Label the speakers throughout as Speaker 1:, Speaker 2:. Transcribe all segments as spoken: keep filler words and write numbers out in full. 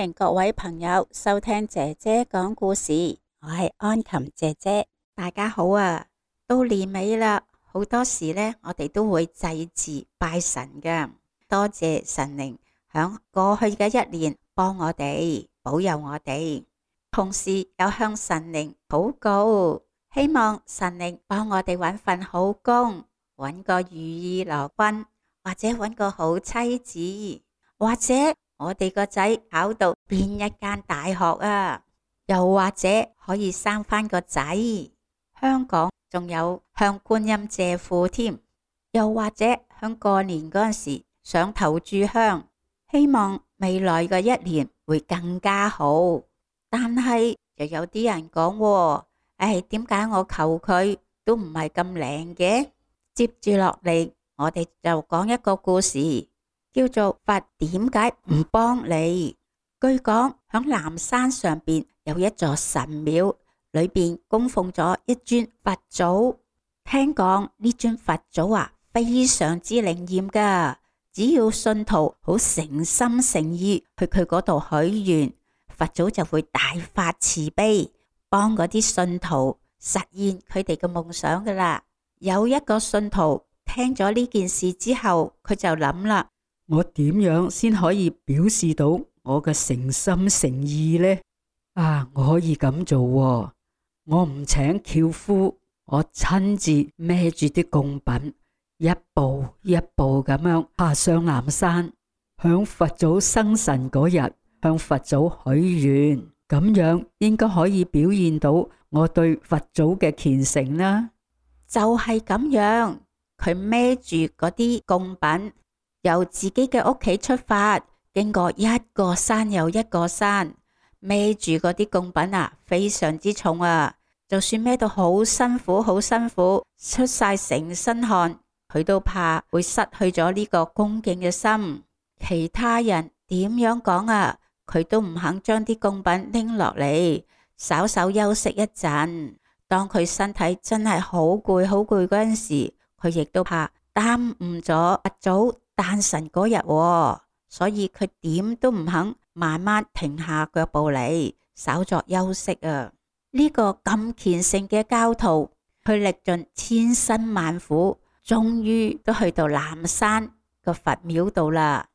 Speaker 1: 迎各位朋友收聽姐姐講故事，我係安琴姐姐。大家好啊，到年尾啦，好多時呢，我哋都會祭祀拜神㗎，多謝神靈響過去嘅一年幫我哋保佑我哋，同時又向神靈禱告，希望神靈幫我哋揾份好工，揾個如意郎君，或者揾個好妻子，或者我哋個仔考到邊一間大學啊，又或者可以生返個仔。香港仲有向觀音借庫添，又或者響過年嗰陣時上頭炷香，希望未來嘅一年會更加好。但係又有啲人講，唉，點解我求佢都唔係咁靈嘅？接住落嚟，我哋就講一個故事，叫做佛點解唔幫你？據講響南山上邊有一座神廟，裏邊供奉咗一尊佛祖。聽講呢尊佛祖啊，非常之靈驗噶，只要信徒好誠心誠意去佢嗰度許願，佛祖就會大發慈悲，幫嗰啲信徒實現佢哋嘅夢想噶啦。有一個信徒聽咗呢件事之後，佢就諗啦，
Speaker 2: 我點樣先可以表示到我嘅誠心誠意呢？啊，我可以咁做喎，我唔請轎夫，我親自孭住啲供品，一步一步咁樣爬上南山，響佛祖生辰嗰日向佛祖許願，咁樣應該可以表現到我對佛祖嘅虔誠啦。
Speaker 1: 就係咁樣，佢孭住嗰啲供品，由自己嘅屋企出發，經過一個山又一個山，孭住嗰啲供品啊，非常之重啊！就算孭到好辛苦，好辛苦，出晒成身汗，佢都怕會失去咗呢個恭敬嘅心。其他人點樣講啊，佢都唔肯將啲供品拎落嚟，稍稍休息一陣。當佢身體真係好攰好攰嗰陣時，佢亦都怕耽誤咗佛祖誕辰嗰日，所以佢點都唔肯慢慢停下腳步嚟，稍作休息啊！呢個咁虔誠嘅教徒，佢歷盡千辛萬苦，終於都去到南山個佛廟度啦。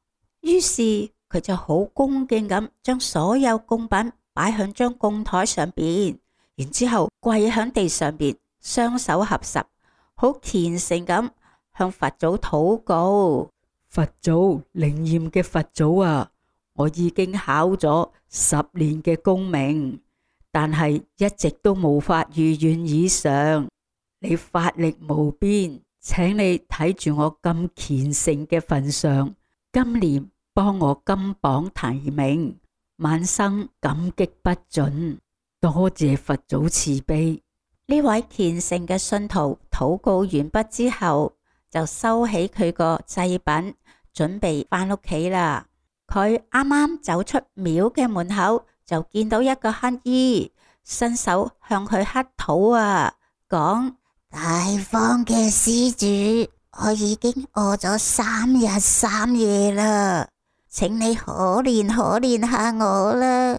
Speaker 1: 於是佢就好恭敬咁將所有供品擺響張供台上邊，然之後跪響地上邊，雙手合十，好虔誠咁向佛祖禱告。
Speaker 2: 佛祖，靈驗嘅佛祖啊，我已經考咗十年嘅功名，但係一直都無法如願以償。你法力無邊，請你睇住我咁虔誠嘅份上，今年幫我金榜題名，萬生感激不盡。多謝佛祖慈悲。
Speaker 1: 呢位虔誠嘅信徒禱告完畢之後，就收起佢個祭品，準備返屋企啦。佢啱啱走出廟嘅門口，就見到一個乞兒伸手向佢乞討啊，講：大方嘅施主，我已經餓咗三日三夜啦，請你可憐可憐下我啦，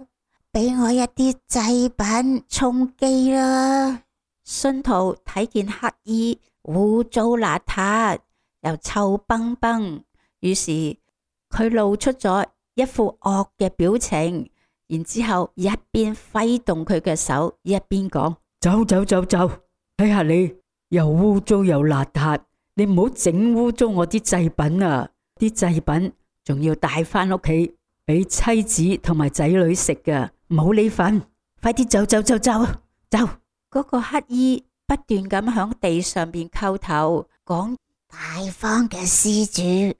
Speaker 1: 俾我一啲祭品充飢啦。信徒睇見乞兒污糟邋遢又臭崩崩，於是佢露出咗一副惡嘅表情，然之後一邊揮動佢嘅手，一邊講：
Speaker 2: 走走走走，睇下你又污糟又邋遢，你唔好整污糟我啲祭品啊！啲祭品仲要帶翻屋企俾妻子同埋仔女食噶，冇你份，快啲走走走走走！
Speaker 1: 嗰個乞兒不斷咁響地上邊叩頭，講：大方嘅施主，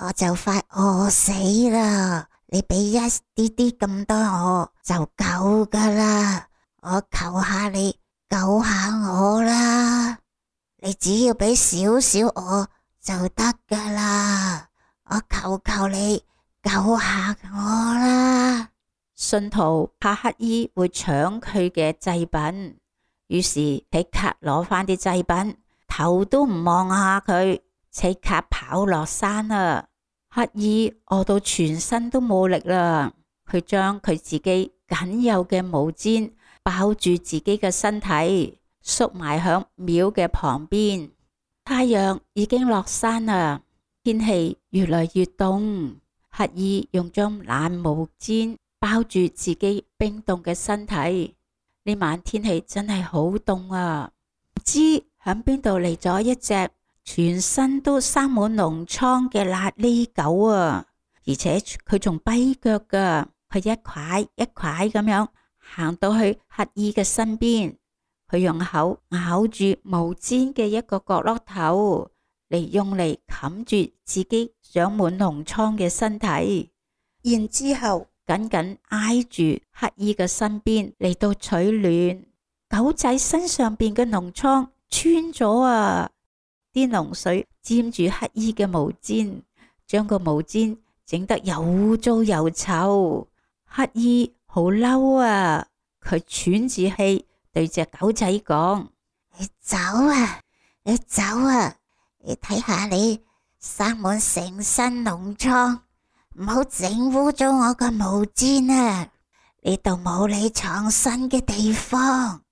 Speaker 1: 我就快餓死啦，你俾一啲啲咁多我就夠噶啦，我求下你救下我啦，你只要俾少少我就得噶啦，我求求你救下我啦。信徒怕乞兒會搶佢嘅祭品，於是即刻攞翻啲祭品，頭都唔望下佢，即刻跑落山啦。乞兒餓到全身都冇力啦，佢將佢自己僅有嘅毛氈包住自己嘅身體，縮埋響廟嘅旁邊。太陽已經落山啦，天氣越來越凍。乞兒用張爛毛氈包住自己冰凍嘅身體。呢晚天氣真係好凍啊！唔知響邊度嚟咗一隻全身都生滿膿瘡嘅癩痢狗啊！而且佢仲跛腳噶，佢一塊一塊咁樣行到去乞兒嘅身邊，佢用口咬住毛氈嘅一個角落頭嚟用嚟冚住自己長滿膿瘡嘅身體，然之後緊緊挨住乞兒嘅身邊嚟到取暖。狗仔身上邊嘅膿瘡穿咗啊！啲膿水沾住乞兒嘅毛氈，將個毛氈整得又污糟又臭。乞兒好嬲啊！佢喘住氣對隻狗仔講：你走啊！你走啊！你睇下你生滿成身膿瘡，唔好整污糟我個毛氈啊！呢度冇你藏身嘅地方。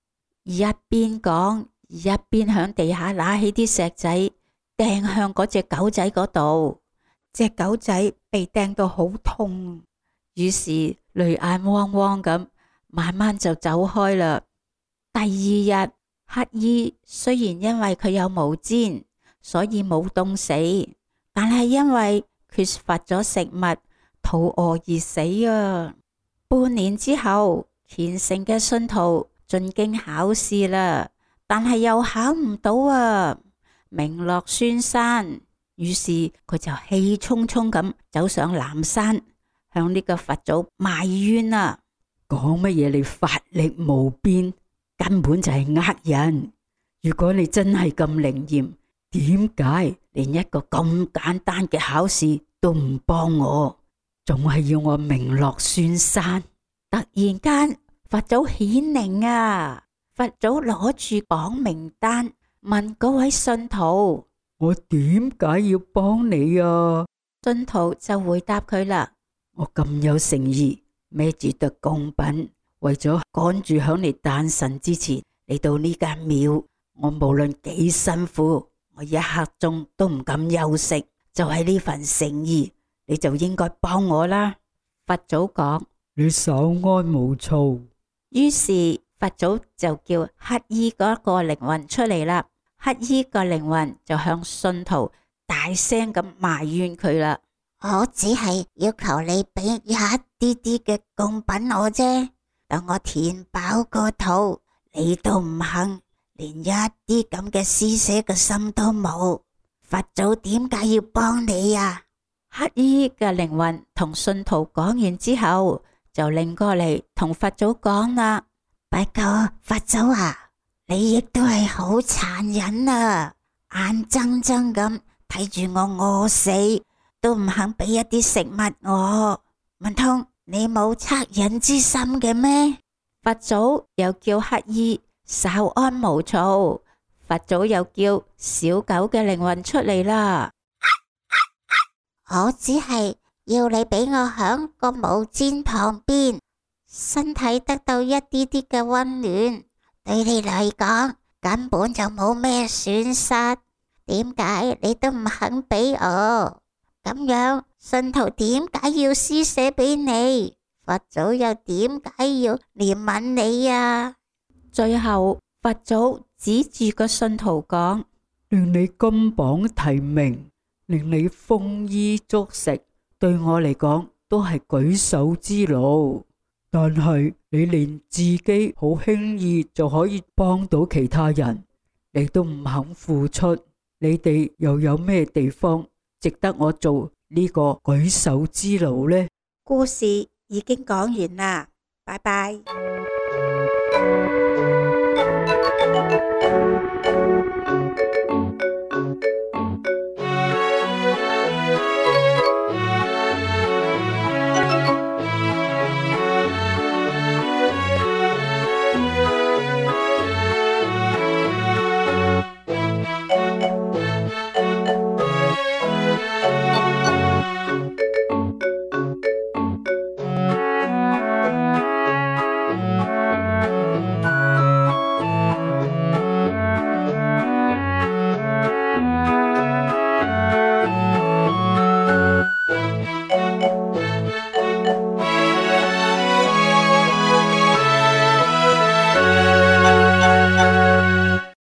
Speaker 1: 一邊講，一邊響地下拿起啲石仔掟向嗰隻狗仔嗰度。隻狗仔被掟到好痛，於是淚眼汪汪咁，慢慢就走開啦。第二日，乞兒雖然因為佢有毛氈，所以冇凍死，但係因為缺乏咗食物，肚餓而死啊！半年之後，虔誠嘅信徒進京考試啦，但係又考唔到啊，名落孫山。於是佢就氣沖沖咁走上南山，向呢個佛祖埋怨啊！
Speaker 2: 講乜嘢你法力無邊，根本就係呃人。如果你真係咁靈驗，點解連一個咁簡單嘅考試都唔幫我，仲係要我名落孫山？
Speaker 1: 突然間佛祖顯靈啊！佛祖攞住榜名單問嗰位信徒：
Speaker 2: 我點解要幫你啊？
Speaker 1: 信徒就回答佢啦：
Speaker 2: 我咁有誠意，孭住堆貢品，為咗趕住響你誕辰之前嚟到呢間廟，我無論幾辛苦，我一刻鐘都唔敢休息。就係呢份誠意，你就應該幫我啦。佛祖講：你稍安毋躁。
Speaker 1: 於是佛祖就叫乞兒嗰個靈魂出嚟啦。乞兒個靈魂就向信徒大聲咁埋怨佢啦：我只係要求你俾一啲啲嘅貢品我啫，等我填飽個肚，你都唔肯，連一啲咁嘅施捨嘅心都冇。佛祖點解要幫你啊？乞兒嘅靈魂同信徒講完之後，就擰過嚟同佛祖講啦：不過佛祖啊，你亦都係好殘忍啊，眼睜睜咁睇住我餓死，都唔肯俾一啲食物我，唔通你冇惻隱之心嘅咩？佛祖又叫乞兒稍安毋躁。佛祖又叫小狗嘅靈魂出嚟啦。我只係要你俾我響個毛氈旁邊，身體得到一啲啲嘅溫暖，對你嚟講根本就冇咩損失。點解你都唔肯俾我？咁樣信徒點解要施捨俾你？佛祖又點解要憐憫你啊？最後佛祖指住個信徒講：
Speaker 2: 令你金榜題名，令你豐衣足食，對我嚟講都係舉手之勞。但係你連自己好輕易就可以幫到其他人，你都唔肯付出，你哋又有咩地方值得我做呢個舉手之勞呢？
Speaker 1: 故事已經講完啦，拜拜。